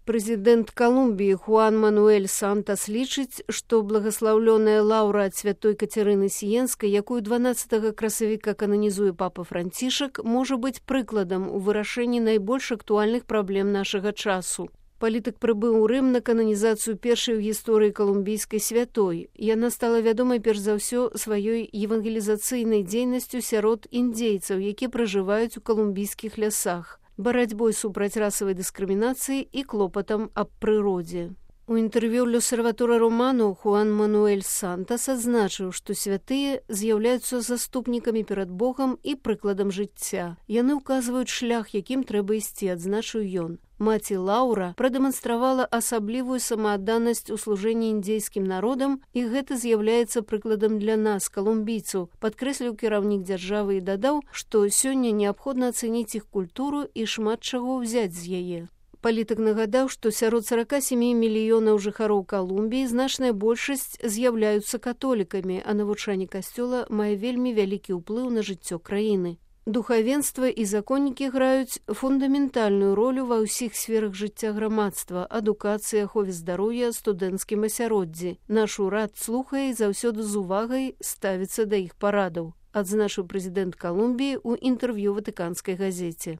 Прэзідэнт Калумбіі Хуан Мануэль Сантас лічыць, што благаслаўлёная лаўра ад святой Кацярыны Сіенскай, якую 12 красавіка кананізуе папа Францішак, можа быць прыкладам у вырашэнні найбольш актуальных праблем нашага часу. Палітык прыбыў у Рым на кананізацыю першай у гісторыі калумбійскай святой. Яна стала вядомай перш за ўсё сваёй евангелізацыйнай дзейнасцю сярод індзейцаў, якія пражываюць у калумбійскіх лясах, барацьбой супраць расавай дыскрымінацыі і клопатам аб прыродзе. У інтэрв'ю «L'Osservatore Romano» Хуан Мануэль Сантас адзначыў, што святыя з'яўляюцца заступнікамі перад Богам і прыкладам жыцця. Яны ўказваюць шлях, якім трэба ісці, адзначыў ён. Маці Лаўра прадэманстравала асаблівую самаадданасць у служэнні індзейскім народам, і гэта з'яўляецца прыкладам для нас, калумбійцаў, падкрэсліў кіраўнік дзяржавы і дадаў, што сёння неабходна ацэніць іх культуру і шмат чаго ўзяць з яе. Палітык нагадаў, што сярод 47 мільёнаў жыхароў Калумбіі значная большасць з'яўляюцца католікамі, а навучанне касцёла мае вельмі вялікі ўплыў на жыццё краіны. Духавенства і законнікі граюць фундаментальную ролю ва ўсіх сферах жыцця грамадства, адукацыі, ахове здароўя, студэнцкім асяроддзі. Наш урад слухае і заўсёды з увагай ставіцца да іх парадаў, адзначыў прэзідэнт Калумбіі ў інтэрв'ю ватыканскай газеце.